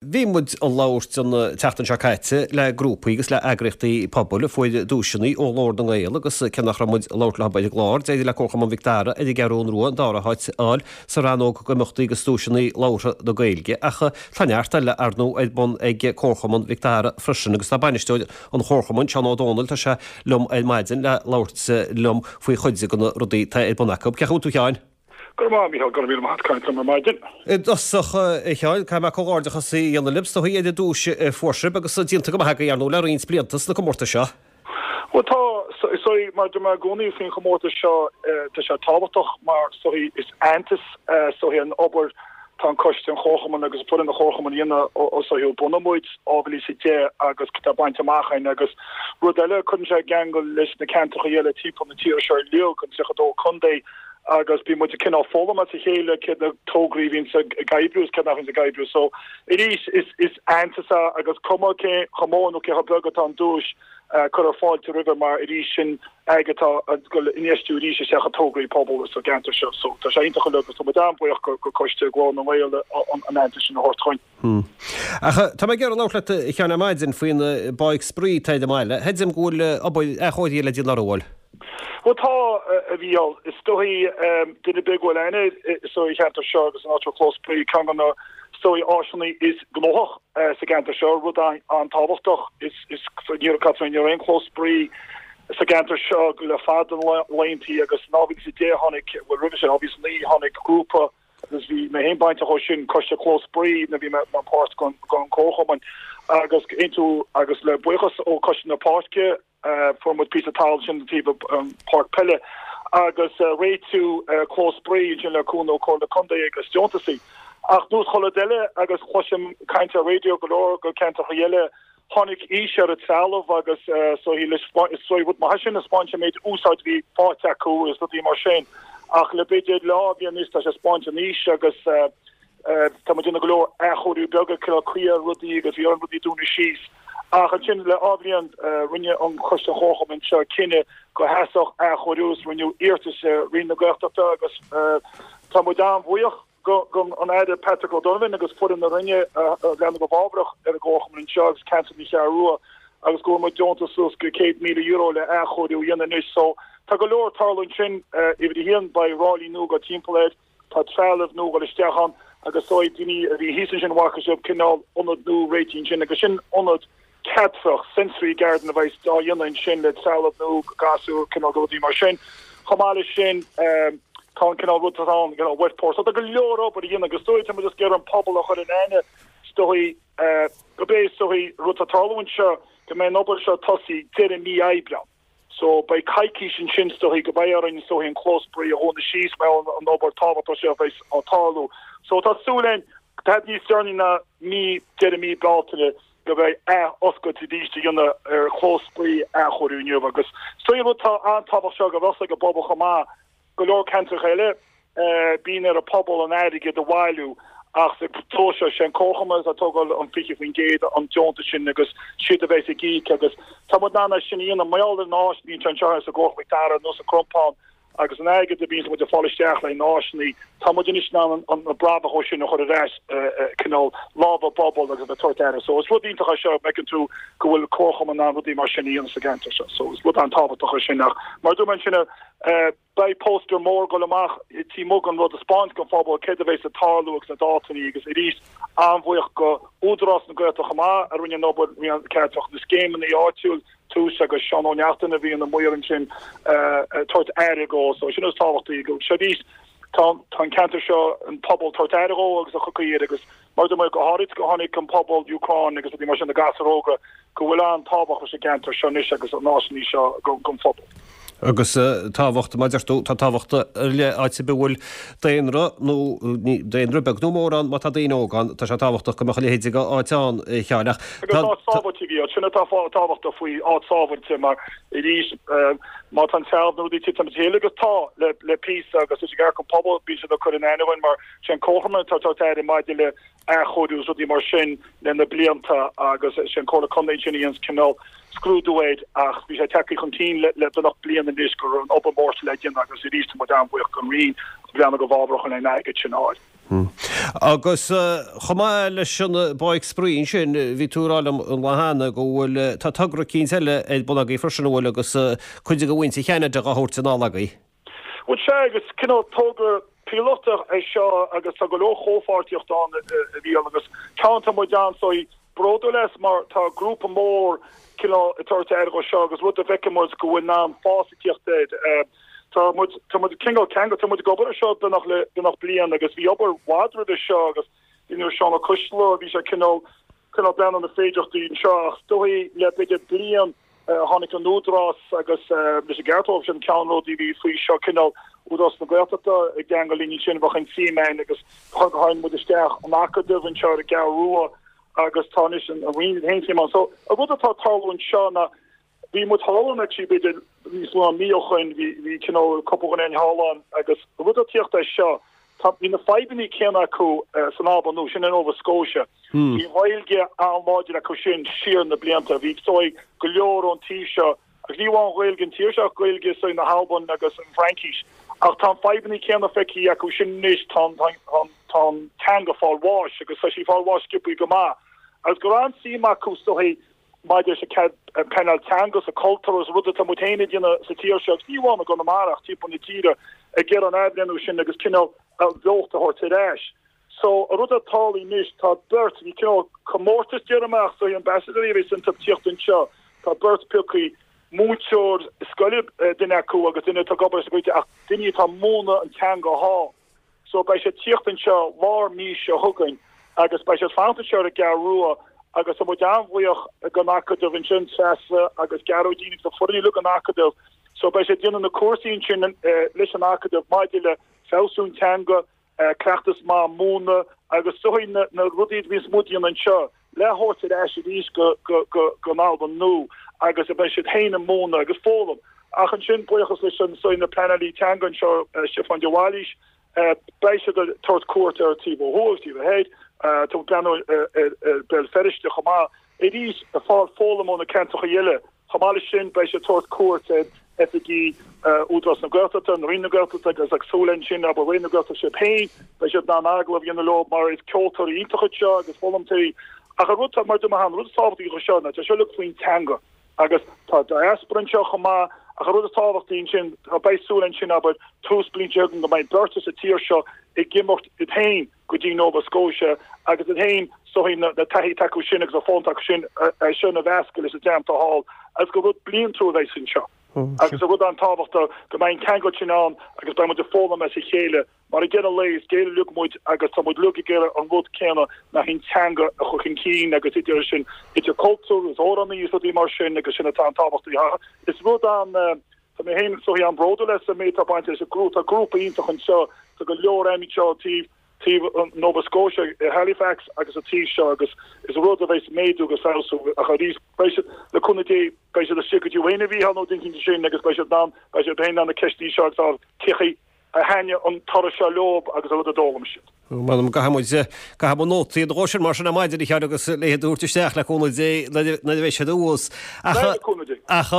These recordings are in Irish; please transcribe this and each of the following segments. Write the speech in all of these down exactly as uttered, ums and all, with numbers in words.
Bhí muid ag labhairt an tseachtain seo caite le grúpaí agus le eagraíochtaí pobail a fuair duaiseanna ó Ghlór na nGael agus cé nach raibh muid ag labhairt leo ar an gclár, d'éirigh le Comharchumann Mhic Dara ar an gCeathrú Rua an dara háit a fháil sa rannóg d'imeachtaí agus duaiseanna labhartha na Gaeilge. Ach tá neart eile ar ndóigh ar bun ag Comharchumann Mhic Dara freisin agus tá bainisteoir an Chomharchumainn, Seán Ó Dónaill, tá sé liom ar maidin le labhairt liom faoi chuid de na rudaí atá ar bun acu. Cén chaoi a bhfuil tú a Sheáin? Go raibh maith, Mícheál, go raibh míle maith caint liom ar maidin. I dtosach, a Sheáin, caithfidh mé comhghairdeachas a dhéanamh libh is dóigh ar an duais a fuair sibh agus déanta go maith agaibh ar ndóigh le roinnt blianta sna comórtais seo. Bhuel tá, is dóigh, mar dúirt mé i gcónaí faoin chomórtas seo, tá sé tábhachtach mar is dóigh is aitheantas is dóigh an obair tá an coiste an chomharchumainn agus foireann an chomharchumainn a dhéanamh ó is dóigh ó bunaíodh muid dhá mhíle is a deich agus tá bainte amach againn agus rud eile cuireann sé i gceangal leis na ceantracha eile timpeall na tíre seo uilig, an tríocha dó contae agus bíonn muid ag cineál foghlaim as a chéile céard na tograí a bhíonns ag oibriú is céard nach bhíonns ag oibriú. So arís is is aitheantas é agus cuma cé chomh mór nó cé chomh beag atá an duais cuirtear fáilte roimhe mar arís sin airgead atá ag dul infheistiú arís isteach i tograí pobail sa gceantar seo. So tá sé iontach uilig agus tá muid an-bhuíoch go go coiste Ghlór na nGael an an aitheantas sin a thabhairt chugainn. Hmm. Ach tá mé ag iarraidh labhairt leat a Sheáin ar maidin faoin bpáirc spraoi atá ar an mbaile. Creidim go bhfuil obair athchóirithe le déanamh uirthi. Bhuel tá, a Mhícheáil. Is dóigh duine ar bith go bhfuil aithne air sa cheantar seo agus an áit clós spraoi ceann de na is dóigh áiseanna is gnóthach sa gceantar seo, rud an-tábhachtach. Is is ní raibh ní raibh aon chlós spraoi sa gceantar seo le fada na laethanta agus in dhá mhíle is a deich tháinig, bhuel roimhe sin, dhá mhíle is a naoi tháinig grúpa agus bhí mé féin bainteach ó sin, coiste clós spraoi nuair a bhí mé mar páirt den comharchumann agus aontú agus le buíochas ó Coiste na Páirce fuair muid píosa talaimh ansin taobh an páirc peile agus réitiú clós spraoi ansin le cúnamh ó Comhairle Contae agus deontasaí. Ach nós chuile rud eile agus cloisim caint ar raidió go leor go ceantracha eile tháinig aois ar an trealamh agus so is dóigh rud maith sin a spáint an méid úsáid bhí faighte acu is rudaí mar sin. Ach le b'fhéidir dhá bhliain anuas tá sé spáint an aois agus tá muid ag déanamh go leor athchóiriú beaga cineál caoi ar rudaí agus bhí orainn rudaí dúnadh síos. Ach ansin le dhá bhliain rinne an Coiste Chomharchumainn seo cinneadh go theastódh athchóiriú is rinneadh iarratas ar Roinn na Gaeltachta agus tá muid an-bhuíoch go an Aire Patrick O'Donovan agus foireann na Roinne a bhreathnaigh go bhfabhrach ar an gcomharchumann anseo agus ceantar na Ceathrún Rua agus go bhfuair muid deontas suas go céad míle euro le athchóiriú a dhéanamh anois. So tá go leor tarlú ansin uimhir a haon beidh ráillí nua go timpeall air, tá trealamh nua dul isteach ann agus so daoine a bhí thíos ansin bhfaca sibh cineál ionad nua réitithe ansin agus sin ionad ceatrach sensory garden a bheidh á dhéanamh ansin le trealamh nua gasúr cineál rudaí mar sin. Chomh maith leis sin tá an cineál rud atá ann cineál wet pour. So tá go leor obair a dhéanamh agus dóigh tá muid ag iarraidh an pobal a chur in aithne is dóigh go bé is dóigh rud atá tarlú anseo go mbeidh an obair seo tosaí deireadh mí Aibreán. So beidh coicís ansin is dóigh go mbeidh orainn is dóigh an clós spraoi a dhúnadh síos mar an obair tábhachtach seo bheidh á tarlú. So tá súil againn tá níos deireanaí ná mí deireadh mí Bealtaine go mbeidh athoscailt arís a dhéanamh ar chlós spraoi athchóiriú inniu agus so rud tá an-tábhachtach seo go bhfuil ag an bpobal chomh maith go leor ceantracha eile bíonn ar an pobal an airgead a bhailiú ach sa dó seo sé an comharchumann atá tógáil an fiche faoin gcéad an deontas sin agus siad a bheas ag íoc agus tá muid in ann sin a dhéanamh mar gheall ar na áiseanna anseo sa gComharchumann Mhic Dara nó sa Crompán agus an airgead a bhíonn muid ag fáil isteach le náisiúnaí tá muid anois in ann an brabach ó sin a chur ar ais cineál lámha bobal agus a bheith aire. So is rud iontach é seo meiceann tú go bhfuil comharchumann in ann rudaí mar sin a dhéanamh sa gceantar seo. So is rud an-tábhachtach é sin ach mar dúirt mé ansin beidh póstaer mór dul amach tí mug an rud a spáint don phobal céard a bheas ag tarlú agus na dátaí agus arís an-bhuíoch go Údarás na Gaeltachta chomh maith a rinne an obair ceartach na scéimeanna áitiúil tús agus Seán Ó Neachtain a bhí ina maor ansin tabhairt aire dó so sin is tábhachtaí go seo arís tá tá an ceantar seo an pobal tabhairt aire dó agus a chucaí agus mar do go háirid go tháinig an pobal Úcráin agus rudaí mar sin na gasúir óga go bhfuil an-tábhacht leis an gceantar seo anois agus an áiseanna seo don phobal. Agus tábhacht mar deir tú tá tábhacht le áit a bhfuil daonra nó daonra beag nó mór ann má tá daoine óga ann tá sé tábhachtach go mbeadh a leithéid de áit ann a Sheáin ach Agus áit sábháilte í sin atá tábhachtach faoi áit sábháilte mar arís má tá an trealamh nó rudaí titim chéile agus tá le le píosa agus is ag an pobal bíonn siad ag cur in aithne mar sin comharchumann atá tá aire maidir le athchóiriú rudaí mar sin le na blianta agus sin Comhairle Contae sin íons cineál scrúdú air ach bhí sé tagtha chun cinn le le beagnach bliain anois go raibh an obair mhór le déanamh agus arís muid an-bhuíoch don Roinn breathnú go bhfabhrach an airgead sin áil. Agus chomh maith leis an bpáirc spraoi ansin, bhí tú ag rá liom an lá cheana go bhfuil, tá togra eicínt eile ar bun agaibh freisin, an bhfuil, agus cuid de mhuintir Cheanada á thabhairt anall agaibh? Bhuel sea, agus cineál togra píolótach é seo agus tá go leor comhpháirtíocht ann a Mhícheáil agus ceann atá muid an-, bródúil as mar tá grúpa mór cineál ag tabhairt aire dhó seo agus rud a bhfeiceann muid go bhfuil in ann fás ag tíocht air. Tá muid tá muid cineál ceangal tá muid ag obair ar seo beagnach le beagnach bliain agus bhí obair mhaith roimhe seo agus bhí nuair Seán Ó Coisdealbha bhí sé cineál cineál breathnú ar na féidearthachtaí anseo ach is dóigh le b'fhéidir bliain Tháinig an Údarás agus leis an gceart dóibh, sin ceannródaí a bhí faoi seo, cineál Údarás na Gaeltachta i gceangal linn ansin, bheadh an tsuim ann agus chuir tháinig muid isteach an Acadamh anseo ar an gCeathrú Rua agus tá anois an Roinn féin suim ann. So an rud atá ag tarlú anseo ná bhí muid thall ann actually b'fhéidir níos lú ná mí ó shoin, bhí bhí cineál cúpla dhuine thall ann agus an rud atá ag tíocht as seo, Tá, bhí na fadhbanna céanna acu san Albain Nua, sin i Nova Scotia. Bhí an Ghaeilge an-láidir acu sin siar na blianta. Bhí, is dóigh, go leor ón tír seo, agus ní amháin Gaeilge an tír seo ach Gaeilge is dóigh na hAlban agus an Fhraincis. Ach tá an fadhbanna céanna feicthe acu sin anois, tá an, tá an, tá an teanga ag fáil bháis agus tá sí ag fáil bháis sciobthaí go maith. Agus go raibh an-suim acu, is dóigh, maidir leis an pleanáil teanga agus an cultúr agus rud atá muid féin ag déanamh sa tír seo agus ní amháin i gConamara ach timpeall na tíre ag iarraidh an athbhreithniú sin agus cineál an bheocht a thabhairt ar ais. So an rud atá tarlaithe anois tá beirt, bhí cineál comórtas déarfainn ach so ambassador a bheas ag tíocht anseo, tá beirt pioctha, múinteoir scoile duine acu agus duine atá ag obair sa Ghaeilge ach duine atá ag múineadh an teanga thall. So beidh siad tíocht anseo lár mí seo chugainn agus beidh siad fanacht anseo ar an gCeathrú Rua agus tá muid an-bhuíoch den Acadamh ansin, Treasa agus Gearóidín agus an foireann uilig an Acadamh. So beidh siad ag déanamh na cúrsaí ansin leis an Acadamh maidir le feabhsú an teanga, cleachtas maith múineadh agus is dóigh na rudaí a bhíonns muid a dhéanamh anseo le thabhairt ar ais arís go go go go Albain Nua agus a beidh siad féin ag múineadh agus foghlaim. Ach ansin buíochas leis an so na pleanálaí teanga anseo Stiofán de Bhailís, Beidh siad ag tabhairt cuairt ar taobh ó thuaidh, taobh ó thoir, tá ag breathnú ar Béal Feirste chomh maith. Arís, ag fáil foghlaim ó na ceantracha eile. Chomh maith leis sin, beidh siad ag tabhairt cuairt ar oifigí Údarás na Gaeltachta, Roinn na Gaeltachta agus ag súil ansin, abair Roinn na Gaeltachta siad féin, beidh siad in ann agallamh a dhéanamh leo mar is ceoltóirí iontacha iad seo agus foghlaimeoirí. Ach an rud, mar a dúirt mé cheana, an rud is tábhachtaí dhó seo ná tá sé uilig faoin teanga. Agus tá diaspora anseo chomh maith, ach an rud is tábhachtaí ansin, tá, beidh súil ansin, abair, tús bliain seo chugainn go mbeidh beirt as an tír seo ag imeacht iad féin go dtí Nova Scotia agus iad féin is dóigh na taithí atá acu sin agus an foghlaim atá acu sin é sin a mheascadh leis an dream atá thall agus gur rud bliantúil a bheidh anseo. Agus an rud an-tábhachtach go mbeidh an ceangal sin ann agus beidh muid ag foghlaim as a chéile mar ag deireadh an lae is Gaeil uilig muid agus tá muid uilig ag iarraidh an rud céanna ná an teanga a chur chun cinn agus idir sin idir cultúr agus amhránaí is rudaí mar sin agus sin atá an-tábhachtach. Is rud an tá mé féin is dóigh an-bhródúil as an méid atá bainte leis an grúpa tá grúpa iontach anseo tá go leor aimid seo taobh taobh Nova Scotia i Halifax agus an taobh seo agus is rud a bheidh ag méadú agus feabhsú ach arís beidh siad le cúnamh Dé beidh siad istigh go dtí uainn a Mhícheál nó duine éicint sin agus beidh siad in ann beidh siad féin in ann na ceisteanna seo agus cé chaoi a thaitnigh an turas seo leo agus an rud a d'fhoghlaim siad. M'anam go gcaithfidh muid, caithfidh muid nótaí a dhó sin mar sin ar maidin a Sheáin agus le iad a thabhairt isteach le cúnamh Dé nuair a bheidh siad abhus. Ach, Le cúnamh Dé. ach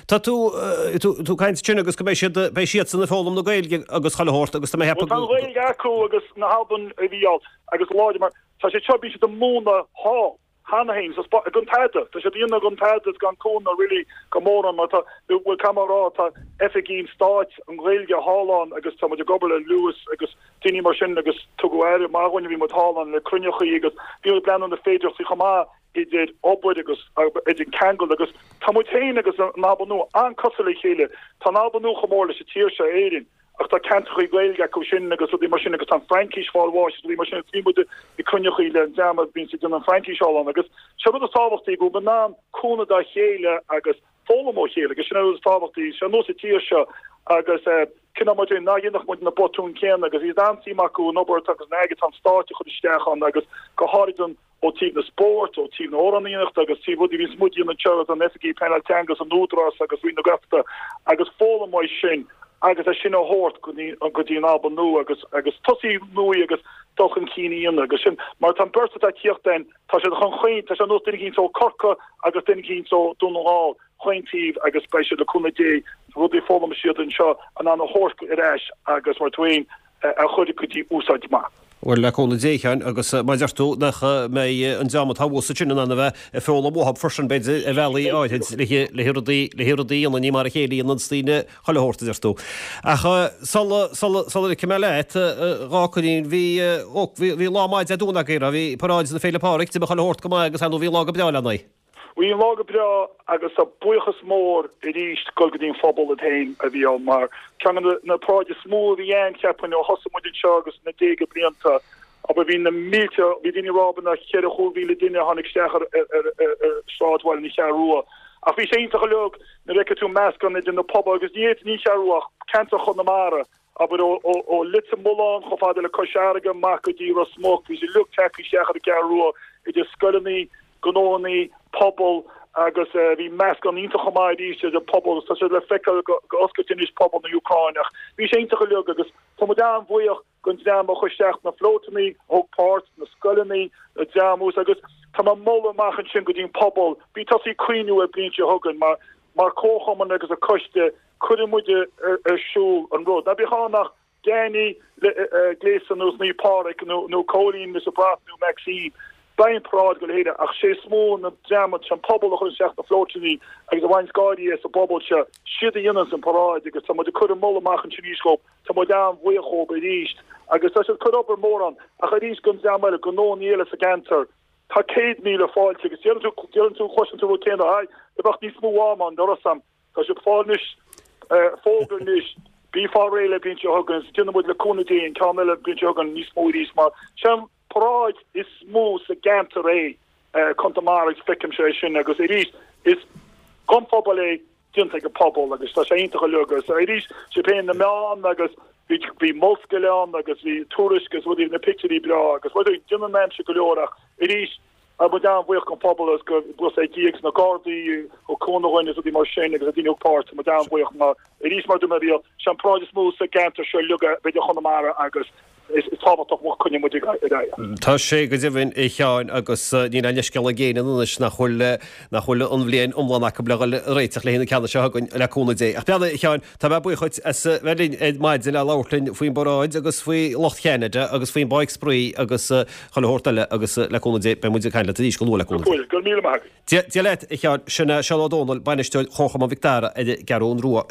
tá tú, tú, tú ag caint ansin agus go mbeidh siad, beidh siadsan ag foghlaim na Gaeilge agus chuile shórt agus tá mé ag Bhuel ceapadh tá an go, Ghaeilge acu agus na hAlban a Mhícheál agus láidir mar tá siad seo, bíonn siad ag múineadh thall. cheana féin, so gan tada, tá siad á dhéanamh gan tada is gan cúnamh really go mórán mar tá, bhuel caithfidh mé a rá, tá oifigí an stáit, an Ghaeilge thall ann agus tá muid ag obair le Lewis agus daoine mar sin agus tugadh aire maith dhúinn, bhí muid thall ann le cruinneachaí agus bhí muid ag breathnú na féidearthachtaí chomh maith idir obair agus idir ceangal agus tá muid féin agus an Albain Nua an-cosúil le chéile, tá an Albain Nua chomh mór leis an tír seo, Éirinn. Ach tá ceantrachaí Gaeilge acu sin agus rudaí mar sin agus tá an Fraincis fáil bháis agus rudaí mar sin agus bhí muid ag cruinneachaí le an dream a bhíonns ag déanamh an Fraincis thall ann agus sé an rud is tábhachtaí go bhfuil muid in ann cúnamh dá chéile agus foghlaim ó chéile agus sin an rud is tábhachtaí, sé nós an tír seo agus cineál mar sin ná dhéanfadh muid na botúin céanna agus bhí an-suim acu an obair atá agus an airgead atá an stáit a chur isteach ann agus go háirid an ó taobh na spóirt, ó taobh na hamhránaíochta agus taobh rudaí a bhíonns muid a dhéanamh anseo agus an oifigí pleanáil teanga agus an Údarás agus Roinn na Gaeltachta agus foghlaim uaidh sin agus é sin a thabhairt go dtí go dtí an Albain Nua agus agus tosaí nua agus dul chun cinn a dhéanamh agus sin mar tá an beirt atá ag tíocht ann tá siad chun chaon tá sé ar nós duine eicínt ó Corcaigh agus duine eicínt ó Dún na nGall chaon taobh agus beidh siad le cúnamh Dé rudaí a foghlaim siad anseo in ann a thabhairt ar ais agus mar tú féin a chur go dtí úsáid maith. Bhuel, le cúnamh Dé, a Sheáin, agus mar a deir tú, nach mbeidh an dream atá thuas ansin in ann a bheith ag foghlaim uathub freisin, b'fhéidir, ar bhealaí áirid, le rudaí, le rudaí a dhéanamh, ní mar a chéile a dhéananns daoine chuile shórt, a deir tú. Ach sula, sula, sula ligfidh mé leat, dhá cuirín, bhí, ó, bhí, bhí lá maith Dé Domhnaigh agaibh, raibh, bhí paráid na Féile Pádraig, d'imigh chuile shórt go maith agus ar ndóigh bhí an lá go breá lena aghaidh. Bhí an lá go breá agus tá buíochas mór arís ag dul go dtí an phobal iad féin a bhí ann mar ceann de na paráidí is mó a bhí ann cheapfainn ó thosaigh muid anseo agus na déaga blianta abair bhí na mílte bhí daoine ag rá b'fhéidir na ceithre chúig mhíle duine a tháinig isteach ar ar ar sráidbhaile na Ceathrún Rua ach bhí sé iontach uilig nuair a fheiceann tú meascán idir na pobail agus ní ní Cheathrún Rua ach ceantar Chonamara abair ó ó Leitir Mealláin chomh fada le Cois Fharraige amach go dtí Ros Muc bhí siad uilig tagtha isteach ar an gCeathrú Rua idir scoileanna gnóannaí, pobal agus bhí meascán iontach chomh maith arís idir pobal agus tá sé le feiceáil go oscailte anois pobal na Úcráineach. Bhí sé iontach uilig agus tá muid an-bhuíoch den dream a chuir isteach na flótannaí, a thóg páirt, na scoileannaí, na dream thuas agus tá mé ag moladh amach ansin go dtí an pobal, bí tosaí ag cuimhniú ar bliain seo chugainn mar mar comharchumann agus an coiste cuireann muid ar siúl an rud. Ná bíodh ann ach Danny gléasta ar nós Naomh Pádraig nó nó Cóilín is a brat nó Maxine. Beidh an paráid go léir ach sé is mó na dream an pobal a chuireann isteach na flótannaí agus a bhain gáirí as an bpobal seo, siad a dhéananns an paráid agus tá muid ag cur an moladh amach ansin arís dhóibh, tá muid an-bhuíoch dhóibh arís agus tá siad ag cur obair mór ann ach arís don dream eile, gnóannaí eile sa gceantar, tá céad míle fáilte agus deireann tú, deireann tú, cloiseann tú rud céanna, aye, bheadh níos mó am ann, dar am. Tá sibh ag fáil anois fógra anois, bí fáil réidh le bliain seo chugainn agus déanfaidh muid le cúnamh Dé an ceann eile bliain seo chugainn níos mó arís mar sé an paráid is mó sa gceantar é Conamara agus feicimse é sin agus arís is don phobal é déanta ag an pobal agus tá sé iontach uilig agus arís sé féin na meáin agus bhí bhí Molscéal ann agus bhí Tuairisc agus rudaí na pictiúirí breá agus rudaí déanann aimsir go leor ach arís Tá muid an-bhuíoch den phobal agus go bhfuil sé Dia agus na Gardaí ó cúnamh dhuine is rudaí mar sin agus na daoine a thóg páirt, tá muid an-bhuíoch mar arís mar dúirt mé bhí sé an paráid is mó sa gceantar seo uilig b'fhéidir Chonamara agus is tábhachtach má choinníonn muid ar aghaidh. Tá sé go deimhin a Sheáin agus níl aon leithscéal ag éinne anois nach bhfuil nach bhfuil an bhliain iomlán acu le dhul ag réiteach le haghaidh na ceanna seo chugainn le cúnamh Dé. Ach breathnaigh a Sheáin, tá mé buíoch dhuit as bheith linn ar maidin le labhairt linn faoin bparáid agus faoi lucht Cheanada agus faoin bPáirc Spraoi agus chuile shórt eile agus le cúnamh Dé beidh muid ag caint leat arís go luath le cúnamh Dé. Go raibh míle maith agat. Dia leat, a Sheáin. Sin é Seán Ó Dónaill, Bainisteoir Chomharchumann Mhic Dara ar an gCeathrú Rua.